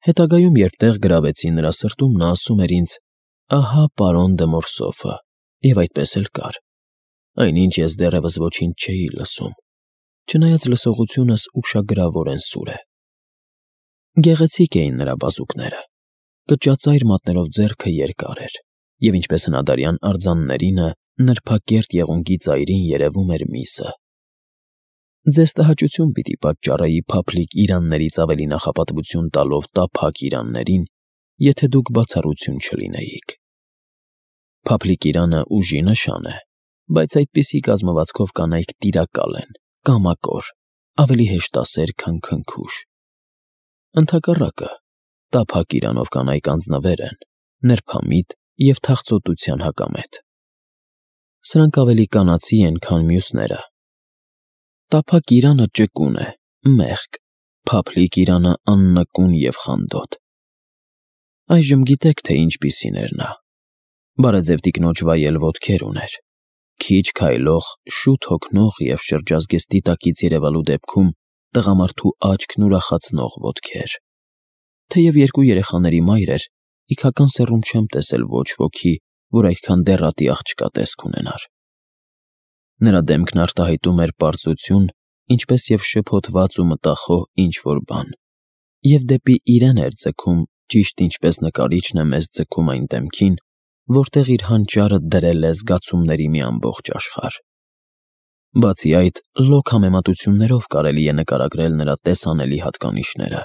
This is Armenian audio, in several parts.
Հետագայում, երբ տեղ գրավեցի նրա սրտում, նա ասում էր ինձ. «Ահա պարոն դե Մորսոֆը», և այդպես էլ կար։ Այնինչ ես դեռևս ոչինչ չէի լսում, չնայած լսողությունս ուշագրավորեն սուր է։ Գեղեցիկ էին նրա բազուկները, կճածայր մատներով ձեռքը երկար էր, և ինչպես հնադարյան արձաններինը, նրբակերտ եղունգի ծայրին երևում էր միսը։ Ձեզ տհաճություն պիտի պատճառեի փափլիկ իրաններից ավելի նախապատվություն տալով տափակ իրաններին, եթե դուք բացառություն չլինեիք։ Փափլիկ իրանը ուժի նշան է, բայց այդպիսի կազմվածքով կանայք տիրակալ են, կամակոր, ավելի հեշտասեր, քան քնքուշ։ Ընդհակառակը, տափակ իրանով կանայք անձնվեր են, նրբամիտ և թախծոտության հակամետ։ Սրանք ավելի կանացի են, քան մյուսները։ Տափակ իրանը ճկուն է, մեղք, փափլիկ իրանը աննկուն և խանդոտ։ Այժմ գիտեք, թե ինչպիսին էր նա։ Բարեձև տիկնոջ վայել ոտքեր ուներ, քիչ քայլող, շուտ հոգնող և շրջազգեստի տակից երևալու դեպքում տղամարդու աչքն ուրախացնող ոտքեր։ Թեև երկու երեխաների մայր էր, իգական սեռում չեմ տեսել ոչ ոքի, որ այդքան դեռատի աղջկա տեսք ունենար։ Նրա դեմքն արտահայտում էր պարզություն, ինչպես և շփոթված ու մտախոհ ինչ-որ բան, և դեպի իրեն էր ձգում, ճիշտ ինչպես նկարիչն է մեզ ձգում այն դեմքին, որտեղ իր հանճարը դրել է զգացումների մի ամբողջ աշխարհ։ Բացի այդ, լոկ համեմատություններով կարելի է նկարագրել նրա տեսանելի հատկանիշները։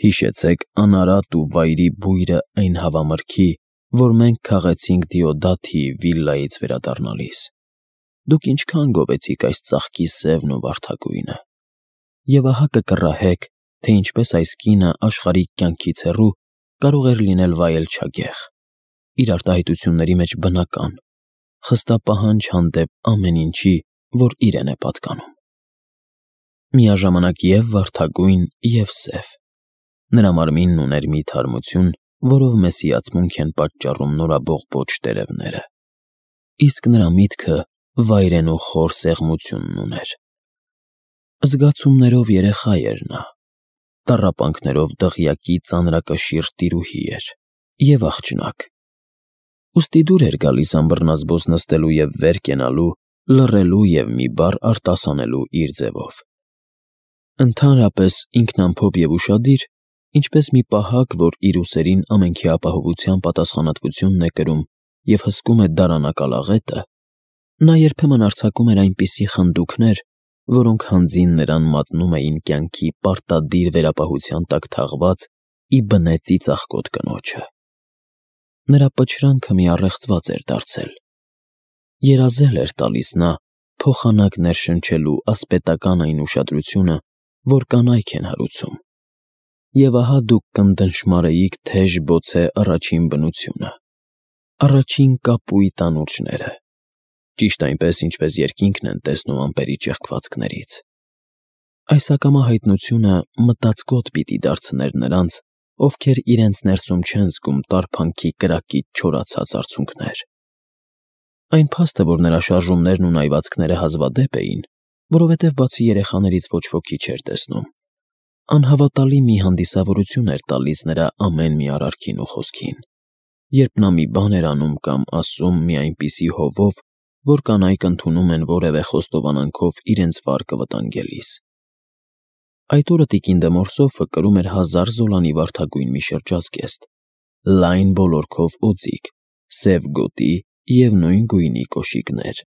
Հիշեցեք անարատ ու վայրի բույրը այն հավամրգի, որ մենք քաղեցինք Դիոդաթիի վիլլայից վերադառնալիս։ Դուք ինչքան գովեցիք այս ծաղկի սևն ու վարդագույնը։ Եվ ահա կկռահեք, թե ինչպես այս կինը աշխարհիկ կյանքից հեռու կարող էր լինել վայել-չագեղ, իր արտահայտությունների մեջ բնական, խստապահանջ հանդեպ ամեն ինչի, որ իրեն է պատկանում։ Միաժամանակ և վարդագույն, և սև։ Նրա մարմինն ուներ մի թարմություն, որով մեզ հիացմունք են պատճառում նորաբողբոջ տերևները, իսկ նրա միտքը վայրենու խոր սեղմությունն ուներ։ Զգացումներով երեխա էր նա, տառապանքներով դղյակի ծանրակշիռ տիրուհի էր և աղջնակ։ Ուստի դուր էր գալիս անբռնազբոս նստելու և վեր կենալու, լռելու և մի բառ արտասանելու իր ձևով։ Ընդհանրապես ինքնամփոփ և ուշադիր, ինչպես մի պահակ, որ իր ուսերին ամենքի ապահովության պատասխանատվությունն է կրում և հսկում է դարանակալ աղետը, նա երբեմն արձակում էր այնպիսի խնդուկներ, որոնք հանձին նրան մատնում էին կյանքի պարտադիր վերապահության տակ թաղված ի բնե ծիծաղկոտ կնոջը։ Նրա պչրանքը մի առեղծված էր դարձել։ Երազել էր տալիս նա, փոխանակ ներշնչելու ասպետական այն ուշադրությունը, որ կանայք են հարուցում։ Եվ ահա դուք կնդնշմարեիք թեժ բոցե առաջին բնությունը, առաջին կապույտ անուրջները, ճիշտ այնպես, ինչպես երկինքն են տեսնում ամպերի ճեղքվածքներից։ Այս ակամա հայտնությունը մտածկոտ պիտի դարձներ նրանց, ովքեր իրենց ներսում չեն զգում տարփանքի կրակից չորացած արցունքներ։ Այն փաստը, որ նրա շարժումներն ու նայվածքները հազվադեպ էին, որովհետև բացի երեխաներից ոչ ոքի չէր տեսնում, անհավատալի մի հանդիսավորություն էր տալիս նրա ամեն մի արարքին ու խոսքին, երբ նա մի բան էր անում կամ ասում մի այնպիսի հովով, որ կանայք ընդունում են որևէ խոստովանանքով իրենց վարկը վտանգելիս։ Այդ օրը տիկին դե Մորսոֆը կրում էր 1000 զոլանի վարդագույն մի շրջազգեստ, լայն բոլորքով օձիք, սև գոտի և նույն գույնի կոշիկներ։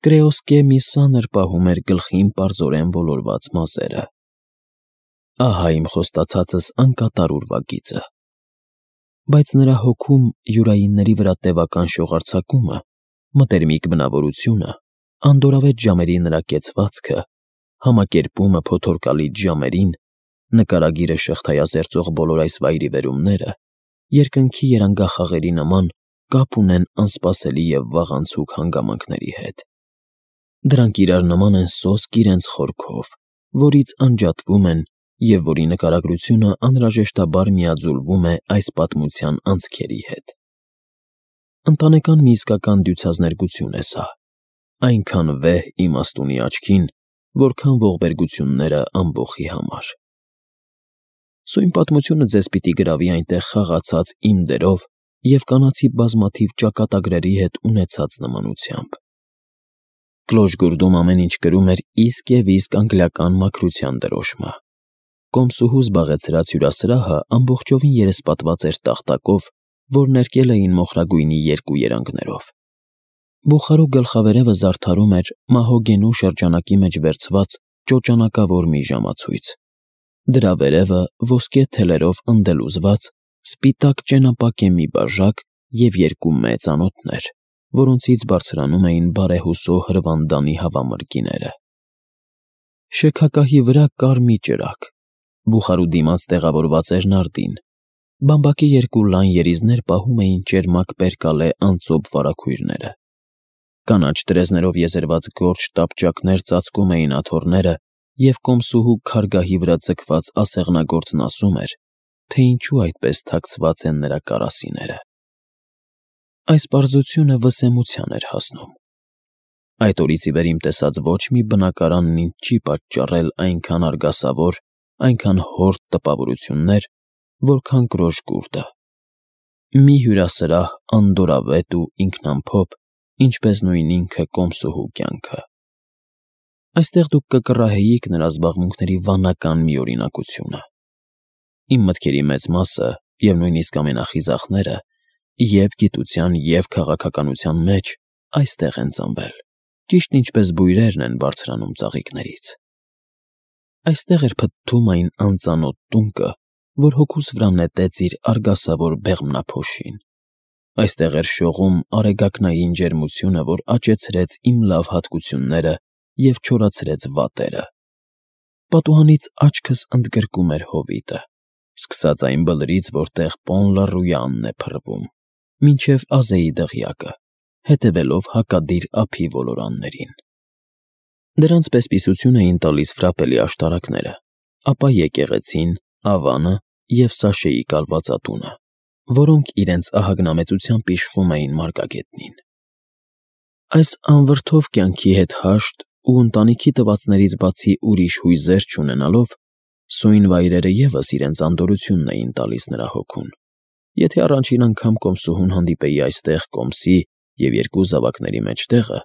Կրեոսկե մի սանր պահում էր գլխին պարզորեն ոլորված մազերը։ Ահա իմ խոստացածս անկատար ուրվագիծը։ Բայց նրա հոգում յուրայինների վրա տևական շողարձակումը, մտերմիկ բնավորությունը, անդորավետ ժամերի նրա կեցվածքը, համակերպումը փոթորկալից ժամերին, նկարագիրը շղթայազերծող բոլոր այս վայրիվերումները, երկնքի երանգախաղերի նման կապ ունեն անսպասելի և վաղանցուկ հանգամանքների հետ։ Դրանք իրար նման են սոսկ իրենց խորքով, որից անջատվում են և որի նկարագրությունը անհրաժեշտաբար միաձուլվում է այս պատմության անցքերի հետ։ Ընտանեկան մի իսկական դյուցազներգություն է սա, այնքան վեհ իմաստունի աչքին, որքան ողբերգությունները ամբոխի համար։ Սույն պատմությունը ձեզ պիտի գրավի այնտեղ խաղացած իմ դերով և կանացի բազմաթիվ ճակատագրերի հետ ունեցած նմանությամբ։ Կլոժգուրդում ամեն ինչ կրում էր իսկ և իսկ անգլիական մաքրության դրոշմը։ Կոմսուհու զբաղեցրած հյուրասրահը ամբողջովին երեսպատված էր տախտակով, որ ներկել էին մոխրագույնի երկու երանգներով։ Բուխարու գլխավերևը զարդարում էր մահոգենու շրջանակի մեջ վերցված ճոճանակավոր մի ժամացույց։ Դրա վերևը ոսկե թելերով ընդելուզված սպիտակ ճենապակե մի բաժակ և երկու մեծ անոթներ, որոնցից բարձրանում էին բարեհուսո հրվանդանի հավամրգիները։ Շեքակահի վրա կար մի ճրագ։ Բուխարու դիմաց տեղավորված էր նարդին։ Բամբակի երկու լայն երիզներ պահում էին ճերմակ պերկալե անծոփ վարագույրները։ Կանաչ տրեզներով եզերված գորշ տապճակներ ծածկում էին աթոռները, և կոմսուհու քարգահի վրա ձգված ասեղնագործն ասում էր, թե ինչու այդպես թաքցված են նրա կարասիները։ Այս պարզությունը վսեմության էր հասնում։ Այդ օրից ի վեր իմ տեսած ոչ մի բնակարանն ինձ չի պատճառել այնքան արգասավոր, այնքան հորդ տպավորություններ, որքան Կլոժգուրդը։ Մի հյուրասրահ անդորրավետ ու ինքնամփոփ, ինչպես նույն ինքը կոմսուհու կյանքը։ Այստեղ դուք կկռահեիք նրա զբաղմունքների վանական միօրինակությունը։ Իմ մտքերի մեծ մասը և նույնիսկ ամենախիզախները և՛ գիտության, և՛ քաղաքականության մեջ այստեղ են ծնվել, ճիշտ ինչպես բույրերն են բարձրանում ծաղիկներից։ Այստեղ էր փթթում այն անծանոթ տունկը, որ հոգուս վրա նետեց իր արգասավոր բեղմնափոշին։ Այստեղ էր շողում արեգակնային ջերմությունը, որ աճեցրեց իմ լավ հատկությունները և չորացրեց վատերը։ Պատուհանից աչքս ընդգրկում էր հովիտը, սկսած այն բլրից, որտեղ Պոն լա Ռույանն է փռվում, մինչև Ազեի դղյակը, հետևելով հակադիր ափի ոլորաններին։ Դրանց պես-պիսություն էին տալիս ֆրապելի աշտարակները, ապա եկեղեցին, ավանը և Սաշեի կալվածատունը, որոնք իրենց ահագնամեծությամբ իշխում էին մարգագետնին։ Այս անվրդով կյանքի հետ հաշտ ու ընտանիքի տվածներից բացի ուրիշ հույզեր չունենալով, սույն վայրերը ևս իրենց անդորրությունն էին տալիս նրա հոգուն։ Եթե առաջին անգամ կոմսուհուն հանդիպեի այստեղ կոմսի և երկու զավակների մեջտեղը,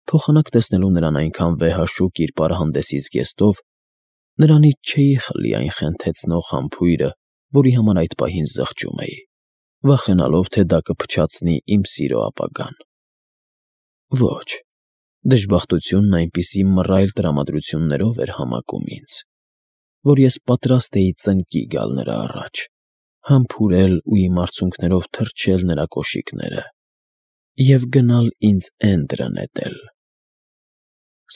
փոխանակ տեսնելու նրան այնքան վեհաշուկ իր պարահանդեսի զգեստով, նրանից չէի խլի այն խենթեցնող համբույրը, որի համար այդ պահին զղջում էի, վախենալով, թե դա կփչացնի իմ սիրո ապագան։ Ոչ, դժբախտությունն այնպիսի մռայլ տրամադրություններով էր համակում ինձ, որ ես պատրաստ էի ծնկի գալ նրա առաջ, համբուրել ու իմ արցունքներով թրջել նրա կոշիկները և գնալ ինձ էնդրը նետել։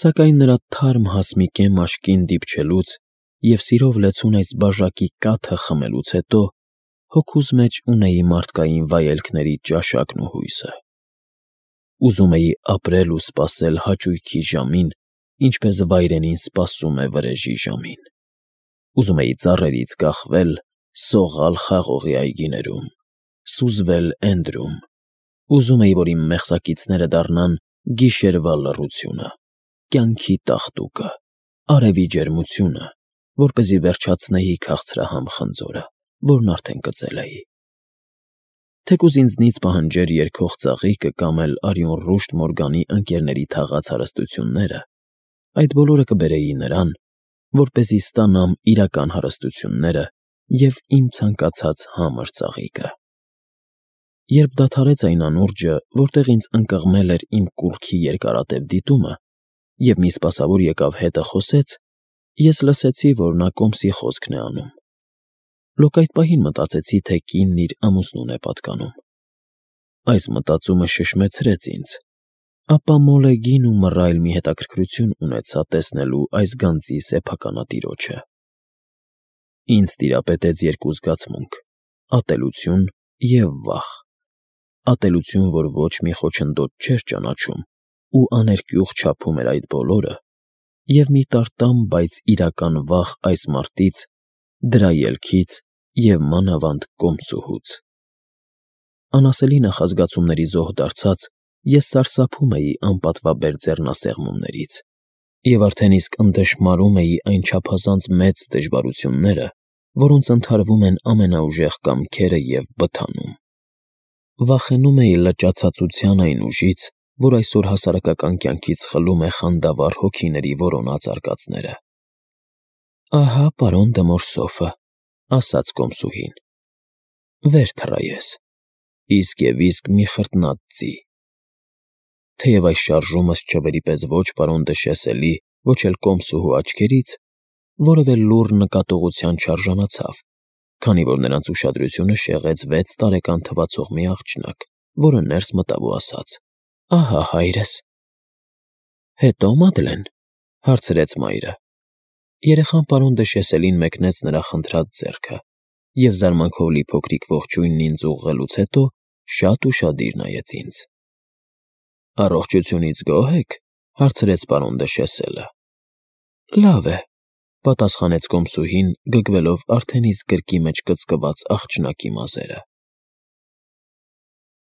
Սակայն նրա թարմ հասմիկե մաշկին դիպչելուց և սիրով լեցուն այս բաժակի կաթը խմելուց հետո հոգուս մեջ ունեի մարդկային վայելքների ճաշակն ու հույսը։ Ուզում էի ապրել ու սպասել հաճույքի ժամին, ինչպես վայրենին սպասում է վրեժի ժամին։ Ուզում էի ծառերից կախվել, սողալ խաղողի այգիներում, սուզվել էնդրում։ Ուզում էի, որ իմ մեղսակիցները դառնան գիշերվա լռությունը, կյանքի տաղտուկը, արևի ջերմությունը, որպեսզի վերջացնեի քաղցրահամ խնձորը, որն արդեն կծել էի։ Թեկուզ ինձնից պահանջեր երգող ծաղիկը կամ էլ արյուն ռուշտ Մորգանի ընկերների թաղած հարստությունները, այդ բոլորը կբերեի նրան, որպեսզի ստանամ իրական հարստությունները և իմ ցանկացած համր ծաղիկը։ Երբ դադարեց այն անուրջը, որտեղ ինձ ընկղմել էր իմ կուռքի երկարատև դիտումը, և մի սպասավոր եկավ հետը խոսեց, ես լսեցի, որ նա կոմսի խոսքն է անում։ Լոկ այդ պահին մտածեցի, թե կինն իր ամուսնուն է պատկանում։ Այս մտածումը շշմեցրեց ինձ, ապա մոլեգին ու մռայլ մի հետաքրքրություն ունեցա տեսնելու այս գանձի սեփականատիրոջը։ Ինձ տիրապետեց երկու զգացմունք՝ ատելություն և վախ։ Ատելություն, որ ոչ մի խոչընդոտ չէր ճանաչում ու աներկյուղ չափում էր այդ բոլորը, և մի տարտամ, բայց իրական վախ այս մարդից, դրա ելքից և մանավանդ կոմսուհուց։ Անասելի նախազգացումների զոհ դարձած, ես սարսափում էի անպատվաբեր ձեռնասեղմումներից և արդեն իսկ ընդդժմարում էի այն չափազանց մեծ դժվարությունները, որոնց ընդհարվում են ամենաուժեղ կամքերը և բթանում։ Վախենում էի լճացածության այն ուժից, որ այսօր հասարակական կյանքից խլում է խանդավառ հոգիների որոնած արկածները։ «Ահա պարոն դը Մորսոֆը», ասաց կոմսուհին։ «Վեր թռա ես, իսկ և իսկ մի խրտնած ձի»։ Թեև այս շարժումս չվերի պես ոչ պարոն դը Շեսելի, ոչ էլ կոմսուհու աչքերից, որևէ լուռ նկատողության չարժանացավ, քանի որ նրանց ուշադրությունը շեղեց 6 տարեկան թվացող մի աղջնակ, որը ներս մտավ ու ասաց. «Ահա հայրս»։ «Հետո, Մադլեն», հարցրեց մայրը։ Երեխան պարոն դը Շեսելին մեկնեց նրա խնդրած ձեռքը և զարմանքով լի փոքրիկ ողջույնն ինձ ուղղելուց հետո շատ ուշադիր նայեց ինձ։ «Առողջությունից գոհ եք», հարցրեց պարոն դը Շեսելը։ «Լավ է», պատասխանեց կոմսուհին, գգվելով արդեն իսկ գրկի մեջ կծկված աղջնակի մազերը։